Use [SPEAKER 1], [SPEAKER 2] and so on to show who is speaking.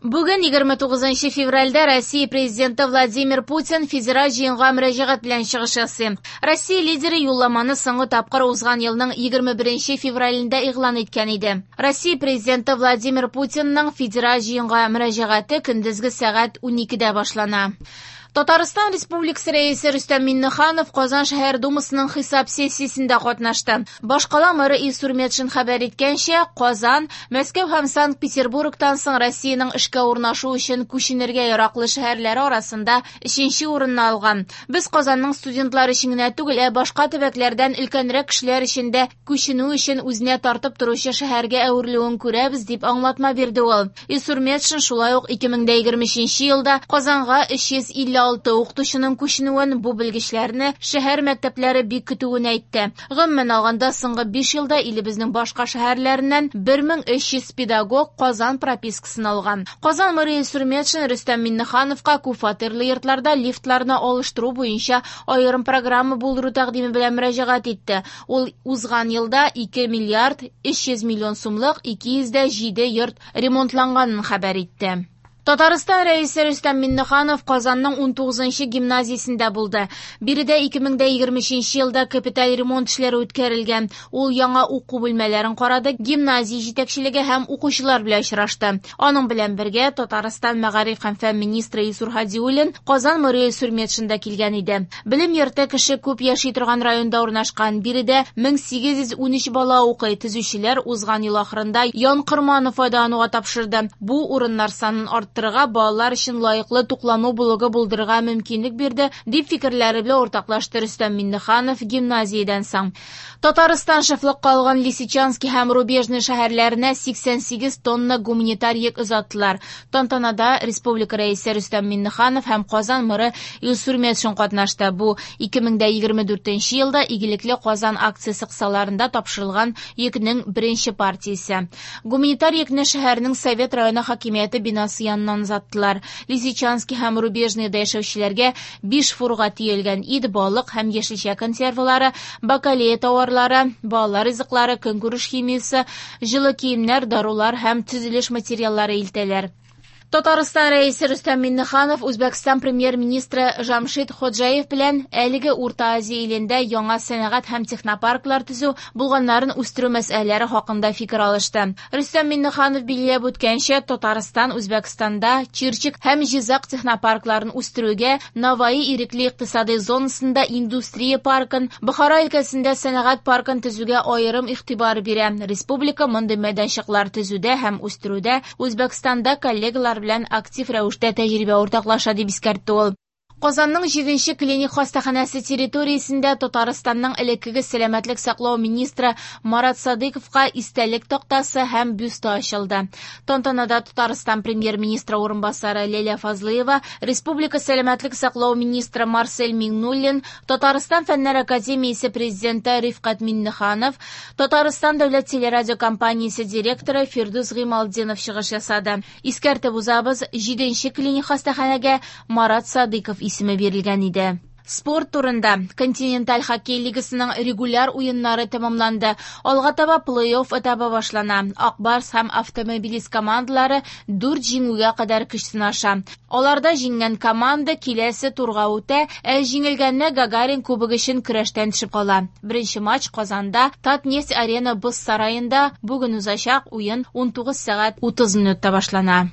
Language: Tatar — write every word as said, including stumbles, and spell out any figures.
[SPEAKER 1] Бүген егерме тугызынчы февральдә Россия президенты Владимир Путин федераль җыенга мөрәҗәгать белән чыгыш ясый. Россия лидеры юлламаны соңгы тапкыр узган елның егерме беренче февралендә игълан иткән иде. Россия президенты Владимир Путинның федераль җыенга мөрәҗәгате көндезге сәгать уникедә башлана. Татарстан Республикасы Рәисе Рөстәм Миңнеханов Казан шәһәр Думасының хисап сессиясендә катнашты. Башкала мэры Илсур Метшин хәбәр иткәнчә, Казан, Мәскәү һәм Санкт-Петербургтан соң Россиянең эшкә урнашу өчен күченергә яраклы шәһәрләре арасында өченче урынны алган. Без Казанның студентлар өчен генә түгел, ә башка төбәкләрдән өлкәнрәк кешеләр өчен дә күченү өчен үзенә тартып торучы шәһәргә әверелүен күрәбез, дип аңлатма бирде ул. Илсур Метшин шулай ук ике мең дә егерме өченче елда Казанга өч йөз илле алты укытучының күченүен, бу белгечләрне шәһәр мәктәпләре бик көтүен әйтте. Гомумән алганда, соңгы биш елда илебезнең башка шәһәрләреннән бер мең өч йөз педагог Казан пропискасын алган. Казан мэры Илсур Метшин Рөстәм Миңнехановка күпфатирлы йортларда лифтларны алыштыру буенча аерым программа булдыру тәкъдиме белән мөрәҗәгать итте. Ул узган елда ике миллиард өч йөз миллион сумлык ике йөз дә җиде йорт ремонтланганын хәбәр итте. Татарстан Рәисе Рөстәм Миңнеханов Казанның унтугызынчы гимназиясендә булды. Биредә ике мең дә егерме өченче елда капиталь ремонт эшләре үткәрелгән. Ул яңа уку бүлмәләрен карады, гимназия җитәкчелеге һәм укучылар белән очрашты. Аның белән бергә Татарстан мәгариф һәм фән министры Илсур Һадиуллин, Казан мэры Илсур Метшин да килгән иде. Белем йорты кеше күп яши торган районда урнашкан. Биредә мең сигез йөз унөч бала укый. Төзүчеләр узган ел ахырында янкорманы файдалануга тапшырды. Бу урыннар санын арттырды. Балалар өчен лаеклы туклану блогы булдырырга мөмкинлек бирде, дип фикерләре белән уртаклашты Рөстәм Миңнеханов гимназиядән соң. Татарстан шефлыкка алган Лисичанский һәм Рубежный шәһәрләренә сиксән сигез тонна гуманитар йөк озаттылар. Тантанада Республика Рәисе Рөстәм Миңнеханов һәм Казан мэры Илсур Метшин катнашты. Бу ике мең дә егерме дүртенче елда Игелекле Казан акциясе кысаларында тапшырылган йөкнең беренче партиясе. Гуманитар йөкне шәһәрнең Совет районы хакимияте бинасы яныннан озаттылар. Лисичанский һәм Рубежныйда яшәүчеләргә биш фурга төялгән ит, балык һәм яшелчә консервалары, бакалея тауарлары, балалар ризыклары, көнкүреш химиясе, җылы киемнәр, дарулар һәм төзелеш материаллары илтәләр. Татарстан Рәисе Рөстәм Миңнеханов Үзбәкстан премьер-министры Жамшид Ходжаев белән әлеге Урта Азия илендә яңа сәнәгать һәм технопарклар төзү, булганнарын үстерү мәсьәләләре хакында фикер алышты. Рөстәм Миңнеханов билгеләп үткәнчә, Татарстан Үзбәкстанда Чирчик һәм Җизак технопаркларын үстерүгә, Наваи ирекле икътисади зонасында индустрия паркын, Бохара өлкәсендә сәнәгать паркын төзүгә аерым игътибар бирә. Республика мондый мәйданчыклар төзүдә һәм үстерүдә Үзбәкстанда коллегалар белән актив рәвештә тәҗрибә уртаклаша, дип искәртте ул. Казанның җиденче клиник хастаханәсе территориясендә Татарстанның элеккеге сәламәтлек саклау министры Марат Садыйковка истәлек тактасы һәм бюсты ачылды. Тантанада Татарстан премьер-министры урынбасары Ләйлә Фазлыева, Республика сәламәтлек саклау министры Марсель Миңнуллин, Татарстан Фәннәр академиясе президенты Рифкать Миңнеханов, Татарстан дәүләт телерадиокомпаниясе директоры Фирдүс Гыймалтдинов чыгыш ясады. Искәртеп узабыз, җиденче клиник хастаханәгә Марат Садыйков исеме бирелгән иде. Спорт турында. Континенталь хоккей лигасының регуляр уеннары тәмамланды. Алга таба плей-офф этабы башлана. Ак Барс һәм Автомобилист командалары дүрт җиңүгә кадәр көч сынаша. Аларда җиңгән команда киләсе турга үтә, ә җиңелгәнне Гагарин кубогы өчен көрәштән төшеп кала. Беренче матч Казанда Татнефть Арена боз сараенда бүген узачак. Уен унтугыз сәгать утыз минутта башлана.